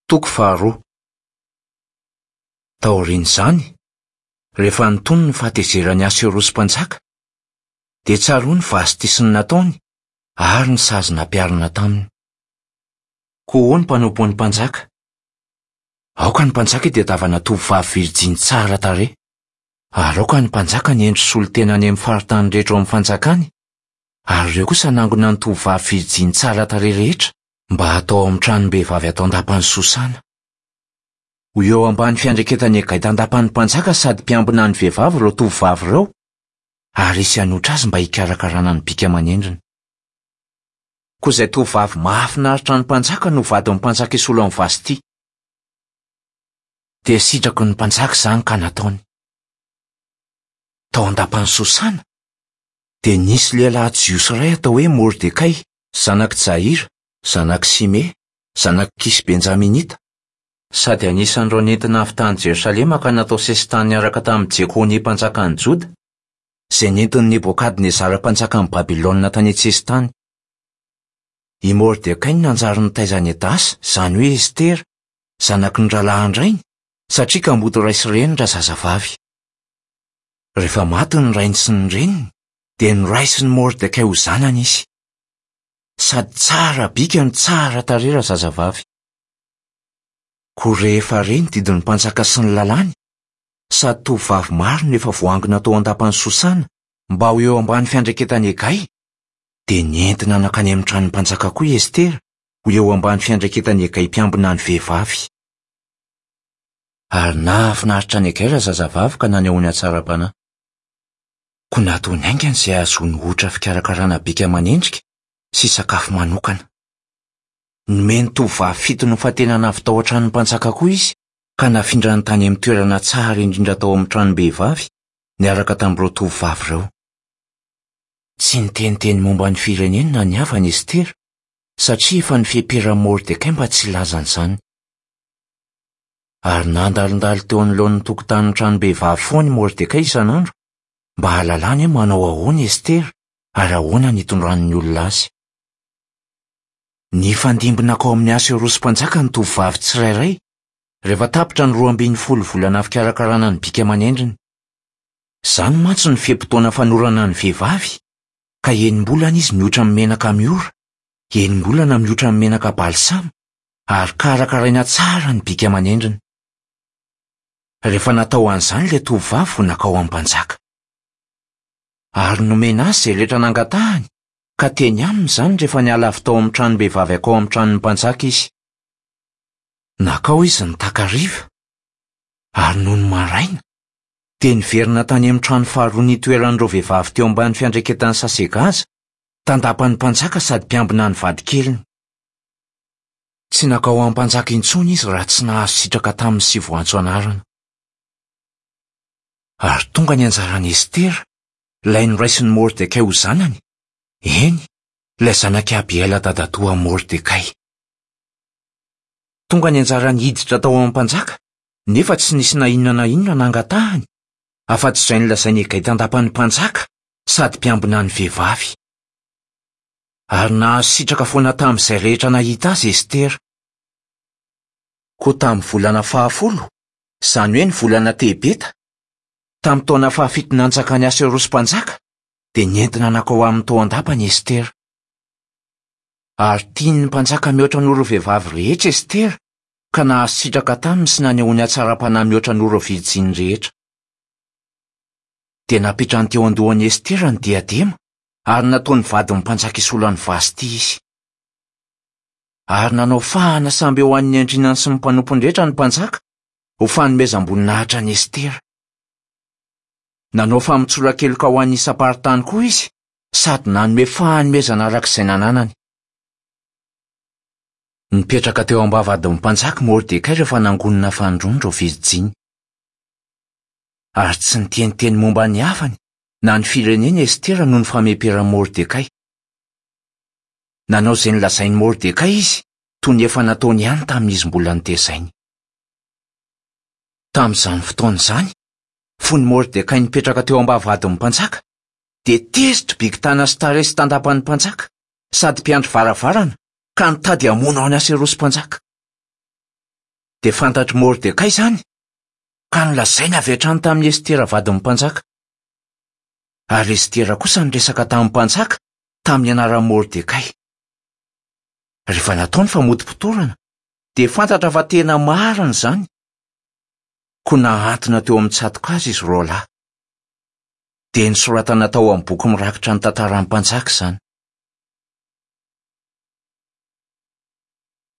Toko faharoa. Taorian'izany, rehefa nitony ny fahatezeran'i Aserosy mpanjaka, dia tsaroany Vasty sy ny nataony ary ny sazy nampiharina taminy. Koa hoy ny mpanompon'ny mpanjaka, Aoka ny mpanjaka hitadiavana tovovavy virjiny tsara tarehy, ary aoka ny mpanjaka hanendry solontena any amin'ny faritany rehetra ao amin'ny fanjakany, ary ireo kosa hanangona ny tovovavy virjiny tsara tarehy rehetra mba hatao ao amin'ny tranom-behivavy ato an-dapan'i Sosana. Ho eo ambany fiandraiketan'i Hegay tandapan'ny mpanjaka sady mpiambina ny vehivavy ireo tovovavy ireo, ary hisy hanotra azy mba hikarakarana ny bika aman'endriny. Koa izay tovovavy mahafinaritra ny mpanjaka no vadin'ny mpanjaka hisolo an'i Vasty. Dia sitraky ny mpanjaka izany ka nataony. Tao an-dapan'i Sosana, dia nisy lehilahy jiosy iray atao hoe Mordekay, Zanak'i Jaira, zanak'i Simea, zanak'i Kisy Benjaminita, sady anisan'ireo nentina avy tany Jerosalema ka natao sesitany niaraka tamin'i Jekonia mpanjakan'i Joda, izay nentin'i Nebokadnezara mpanjakan'i Babylona tany an-tsesitany. I Mordekay no nanjary nitaiza an'i Hadasa, izany hoe Estera, zanaky ny rahalahin-drainy, satria kamboty ray sy reny razazavavy. Rehefa maty ny rainy sy ny reniny, dia noraisin'i Mordekay ho zanany izy. Sady tsara bika no tsara tarehy razazavavy. Koa rehefa re ny didin'ny mpanjaka sy ny lalàny, sady tovovavy maro no efa voaangona tao an-dapan'i Sosana mba ho eo ambany fiandraiketan'i Hegay, dia nentina nankany amin'ny tranon'ny mpanjaka koa i Estera ho eo ambany fiandraiketan'i Hegay mpiambina ny vehivavy. Ary nahafinaritra an'i Hegay razazavavy ka nanehoany hatsaram-panahy. Koa nataony haingana izay hahazoany otra fikarakarana bika aman'endrika sy sakafo manokana. Nomeny tovovavy fito nofantenana avy tao an-tranon'ny mpanjaka koa izy ka nafindrany tany amin'ny toerana tsara indrindra tao amin'ny tranom-behivavy niaraka tamin'ireo tovovavy ireo. Tsy niteniteny momba ny fireneny na ny havany Estera, satria efa nifeperan'i Mordekay mba tsy hilaza an'izany. Ary nandalondalo teo anoloan'ny tokotanin'ny tranom-behivavy foana i Mordekay isan'andro, mba hahalalany hoe manao ahoana i Estera ary ahoana ny hitondran'ny olona azy. Nifandimby nankao amin'i Asoerosy mpanjaka ny tovovavy tsirairay, rehefa tapitra ny 12 volana fikarakarana ny bika aman'endriny. Izany mantsy no fe-potoana fanorana ny vehivavy, ka enim-bolana izy miotra amin'ny menaka miora, enim-bolana miotra amin'ny menaka balsama, ary karakaraina tsara ny bika aman'endriny. Rehefa natao an'izany ilay tovovavy vao nankao amin'ny mpanjaka. Ary nomena azy izay rehetra nangatahany, ka teny aminy izany rehefa niala avy tao amin'ny tranom-behivavy hankao amin'ny tranon'ny mpanjaka izy. Nankao izy ny takariva, ary nony maraina, dia niverina tany amin'ny trano faharoa nitoeran'ireo vehivavy teo ambany fiandraiketan'i Sasegaza, tandapan'ny mpanjaka sady mpiambina ny vadikeliny. Tsy nankao amin'ny mpanjaka intsony izy raha tsy nahazo sitraka taminy sy voantso anarana. Ary tonga ny anjaran'i Estera, ilay noraisin'i Mordekay ho zanany, eny, ilay zanak'i Abihaila dadatoan'i Mordekay. Tonga ny anjarany hiditra tao amin'ny mpanjaka, nefa tsy nisy na inona na inona nangatahany, afa-tsy izay nolazain'i Hegay tandapan'ny mpanjaka sady mpiambina ny vehivavy. Ary nahazo sitraka foana tamin'izay rehetra nahita azy Estera. Koa tamin'ny volana fahafolo, izany hoe ny volana Tebeta, tamin'ny taona fahafito nanjakan'i Asoerosy mpanjaka, dia nentina nankao aminy tao an-dapany Estera. Ary tian'ny mpanjaka mihoatra noho ireo vehivavy rehetra Estera, ka nahazo sitraka taminy sy nanehoany hatsaram-panahy mihoatra noho ireo virjiny rehetra. Dia napetrany teo an-dohan'i Estera ny diadema, ary nataony vadin'ny mpanjaka hisolo an'i Vasty izy. Ary nanao fahana samby eo an'ny andrinany sy ny mpanompony rehetra ny mpanjaka ho fanomezam-boninahitra an'i Estera. Nanao famotsoran-keloka ho an'ny isam-paritany koa izy sady nanome fanomezana araka izay nananany. Nipetraka teo am-bavahadin'ny mpanjaka i Mordekay rehefa nangonina fanindroany ireo virjiny. Ary tsy niteniteny momba ny havany na ny fireneny Estera noho ny fameperan'i Mordekay. Nanao izay nolazain'i Mordekay izy, toy ny efa nataony ihany tamin'izy mbola notezainy. Tamin'izany fotoana izany, fony Mordekay nipetraka teo am-bavahadin'ny mpanjaka, dia tezitra Bigtana sy Taresy tandapan'ny mpanjaka, sady mpiandry varavarana, ka nitady hamono an'i Aserosy mpanjaka. Dia fantatr'i Mordekay izany, ka nolazainy avy hatrany tamin'i Estera vadin'ny mpanjaka. Ary Estera kosa niresaka tamin'ny mpanjaka tamin'ny anaran'i Mordekay. Rehefa natao ny famotopotorana, dia fantatra fa tena marina izany. Koa nahantona teo amin'ny tsato-kazo izy roalahy. Dia nosoratana tao amin'ny boky mirakitra ny tantaran'ny mpanjaka izany.